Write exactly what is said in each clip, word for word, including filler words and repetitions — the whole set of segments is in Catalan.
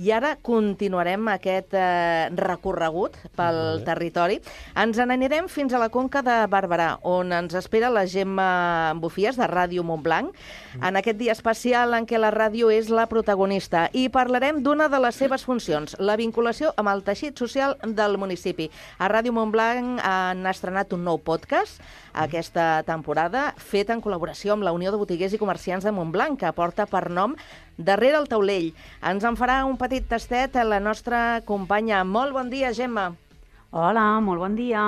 I ara continuarem aquest eh, recorregut pel Vale. territori. Ens n'anirem fins a la Conca de Barberà, on ens espera la Gemma Bufies, de Ràdio Montblanc, en aquest dia especial en què la ràdio és la protagonista. I parlarem d'una de les seves funcions, la vinculació amb el teixit social del municipi. A Ràdio Montblanc han estrenat un nou podcast aquesta temporada, fet en col·laboració amb la Unió de Botiguers i Comerciants de Montblanc, que porta per nom Darrere el taulell. Ens en farà un petit tastet la nostra companya. Molt bon dia, Gemma. Hola, molt bon dia.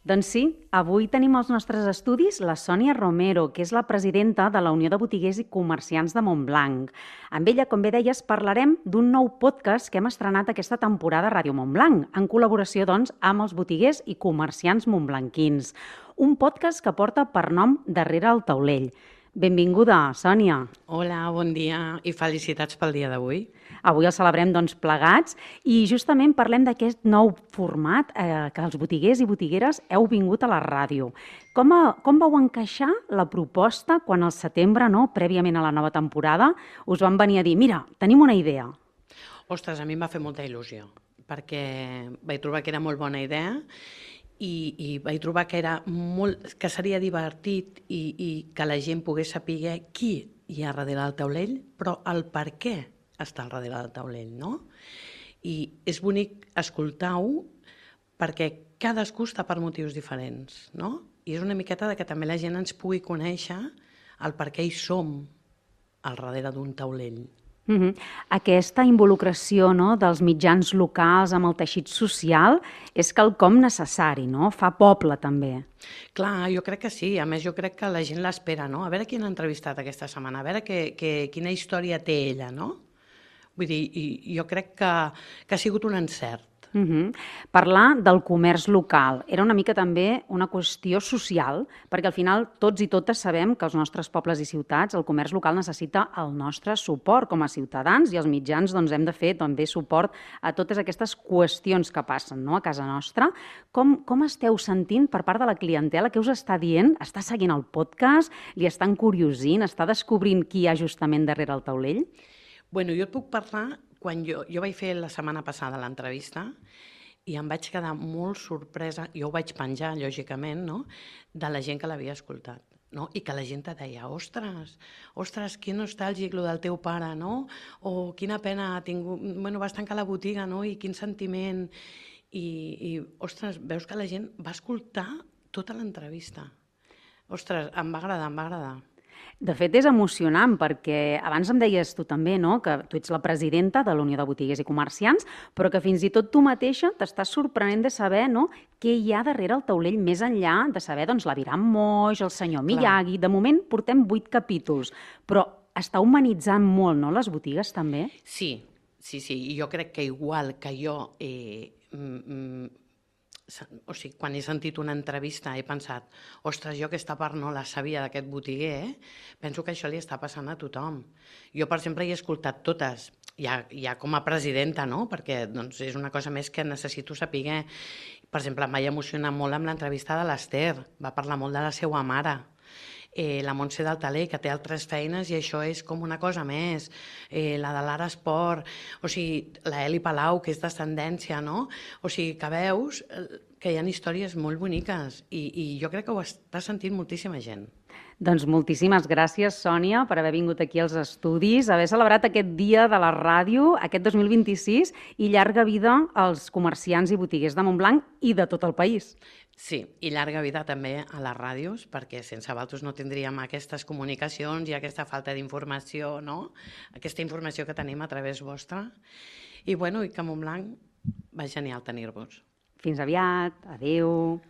Doncs sí, avui tenim als nostres estudis la Sònia Romero, que és la presidenta de la Unió de Botiguers i Comerciants de Montblanc. Amb ella, com bé deies, parlarem d'un nou podcast que hem estrenat aquesta temporada a Ràdio Montblanc, en col·laboració, doncs, amb els botiguers i comerciants montblanquins. Un podcast que porta per nom Darrere el taulell. Benvinguda, Sònia. Hola, bon dia i felicitats pel dia d'avui. Avui el celebrem doncs, plegats i justament parlem d'aquest nou format eh, que els botiguers i botigueres heu vingut a la ràdio. Com, a, com vau encaixar la proposta quan al setembre, no, prèviament a la nova temporada, us van venir a dir, mira, tenim una idea? Ostres, a mi em va fer molta il·lusió, perquè vaig trobar que era molt bona idea i, i vaig trobar que, era molt, que seria divertit i, i que la gent pogués saber qui hi ha darrere del taulell, però el per què està al darrere del taulell, no? I és bonic escoltar-ho perquè cadascú està per motius diferents, no? I és una miqueta de que també la gent ens pugui conèixer el per què hi som al darrere d'un taulell. Uh-huh. Aquesta involucració, no, dels mitjans locals amb el teixit social és quelcom necessari, no? Fa poble, també. Clar, jo crec que sí. A més, jo crec que la gent l'espera, no? A veure qui han entrevistat aquesta setmana, a veure que, que, quina història té ella, no? Vull dir, jo crec que, que ha sigut un encert. Uh-huh. Parlar del comerç local era una mica també una qüestió social, perquè al final tots i totes sabem que als nostres pobles i ciutats el comerç local necessita el nostre suport com a ciutadans i els mitjans doncs, hem de fer també suport a totes aquestes qüestions que passen, no, a casa nostra. Com, com esteu sentint per part de la clientela? Què us està dient? Està seguint el podcast? Li està encuriosint? Està descobrint qui hi ha justament darrere el taulell? Bueno, jo et puc parlar. Quan jo, jo vaig fer la setmana passada l'entrevista i em vaig quedar molt sorpresa, jo ho vaig penjar, lògicament, no?, de la gent que l'havia escoltat. No? I que la gent te deia, ostres, ostres, que nostàlgic lo del teu pare, no? O quina pena ha tingut, bueno, vas tancar la botiga, no? I quin sentiment. I, i ostres, veus que la gent va escoltar tota l'entrevista. Ostres, em va agradar, em va agradar. De fet, és emocionant perquè abans em deies tu també, no?, que tu ets la presidenta de la Unió de Botiguers i Comerciants, però que fins i tot tu mateixa t'estàs sorprenent de saber, no?, què hi ha darrere el taulell més enllà de saber, doncs, l'Aviram Moix, el senyor Miyagi. De moment portem vuit capítols, però està humanitzant molt, no?, les botigues també? Sí, sí, sí, i jo crec que igual que jo... Eh, mm, o sigui, quan he sentit una entrevista he pensat, ostres, jo aquesta part no la sabia d'aquest botiguer, eh? Penso que això li està passant a tothom. Jo, per exemple, he escoltat totes, ja, ja com a presidenta, no? Perquè doncs, és una cosa més que necessito saber. Per exemple, em vaig emocionar molt amb l'entrevista de l'Ester, va parlar molt de la seva mare. Eh, la Montse del Taler, que té altres feines i això és com una cosa més, eh, la de l'Ara Esport, o sigui, la Eli Palau, que és d'ascendència, no? O sigui, que veus que hi ha històries molt boniques i, i jo crec que ho està sentint moltíssima gent. Doncs moltíssimes gràcies, Sònia, per haver vingut aquí als estudis, haver celebrat aquest dia de la ràdio, aquest dos mil vint-i-sis, i llarga vida als comerciants i botiguers de Montblanc i de tot el país. Sí, i llarga vida també a les ràdios, perquè sense vosaltres no tindríem aquestes comunicacions i aquesta falta d'informació, no? Aquesta informació que tenim a través vostra. I bueno, i que a Montblanc va genial tenir-vos. Fins aviat, adeu.